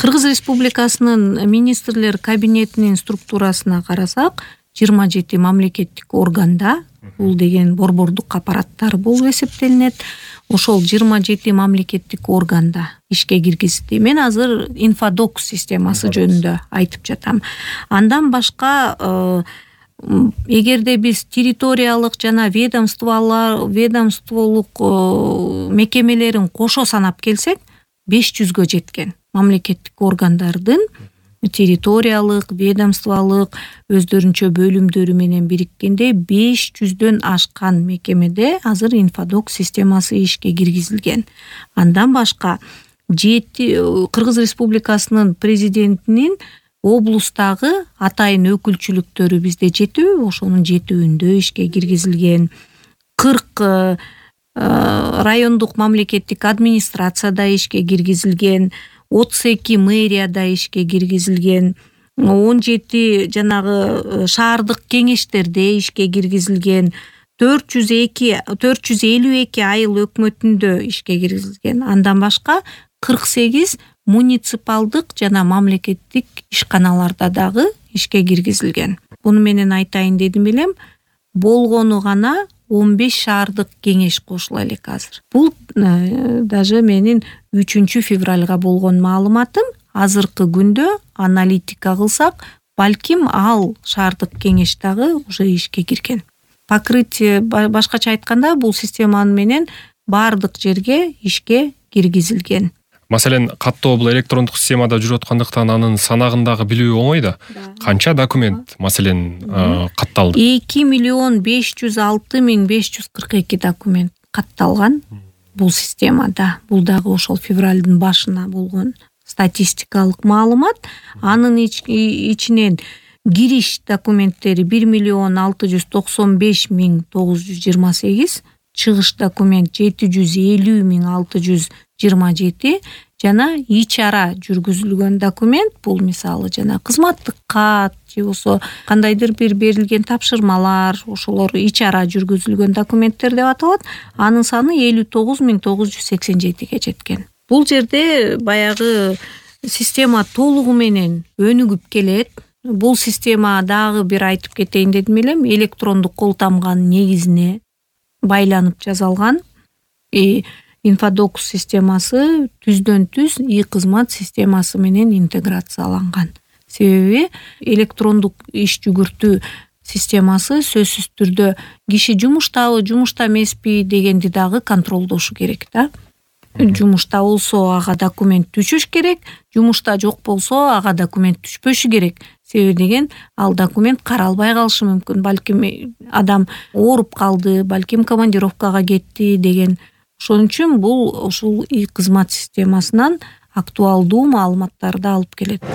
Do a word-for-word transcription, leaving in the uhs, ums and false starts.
Кыргыз Республикасынын министрлер кабинетинин структурасына карасак, жыйырма жети мамлекеттик органда, бул деген борбордук аппараттар болуп эсептелинет. Ошол жыйырма жети мамлекеттик органда ишке киргизди. Мен азыр инфодокс системасы жөнүндө айтып жатам. Андан башка эгерде биз территориялык жана ведомстволор, ведомстволук мекемелерин кошо санап келсек, беш жүзгө жеткен мамлекеттик органдардын территориялык, ведомстволук өздөрүнчө бөлүмдөрү менен бириккенде беш жүздөн ашкан мекемеде азыр инфодокс системасы ишке киргизилген. Андан башка жети Кыргыз Республикасынын президентинин облустагы атайын өкүлчүлүктөрү бизде жетүү, ошонун жетүүндө ишке киргизилген. кырк райондук мамлекеттик администрацияда ишке киргизилген, отуз эки мэрияда ишке киргизилген, он жети жанагы шаардык кеңештерде ишке киргизилген, төрт жүз эки төрт жүз элүү эки айыл өкмөтүндө ишке киргизилген. Андан башка кырк сегиз муниципалдык жана мамлекеттик ишканаларда дагы ишке киргизилген. Буну менен айтайын дедим элем, болгону гана он беш шаардык кеңеш кошула элек азыр. Бул даже менин үчүнчү февралга болгон маалыматым. Азыркы күндө аналитика кылсак, балким ал шаардык кеңеш дагы уже ишке кирген. Покрытие, башкача айтканда, бул система менен бардык жерге ишке киргизилген. Маселен, каттоо бул электрондук системада жүрүп аткандыктан анын санагындагы билүү оңой да. Канча документ маселен катталды? эки миллион беш жүз алты миң беш жүз кырк эки документ катталган бул системада. Бул дагы ошол февралдын башына болгон статистикалык маалымат. Анын ичинен кириш документтери бир миллион алты жүз токсон беш миң тогуз жүз жыйырма сегиз, чыгыш документ жети жүз элүү миң алты жүз жыйырма жети жана ич ара жүргүзүлгөн документ, бул мисалы жана кызматтык кат же болсо кандайдыр бир берилген тапшырмалар, ошолор ич ара жүргүзүлгөн документтер деп аталат. Анын саны элүү тогуз миң тогуз жүз сексен жетиге жеткен. Бул жерде баягы система толугу менен өнүгүп келет. Бул система дагы бир айтып кетейин дедим элем, электрондук кол тамганын негизине байланып жасалган. Инфодокс системасы түздөн түз и-кызмат системасы менен интеграцияланган. Себеби электрондук иш жүгүртүү системасы сөзсүз түрдө киши жумуштабы, жумушта эмеспи дегенди дагы контролдошу керек да. Жумушта болсо ага документ түшүш керек, жумушта жок болсо ага документ түшпөшү керек. Себеби деген ал документ каралбай калышы мүмкүн. Балким адам ооруп калды, балким командировкага кетти деген. Ошон үчүн бул ушул и-кызмат системасынан актуалдуу маалыматтарды алып келет.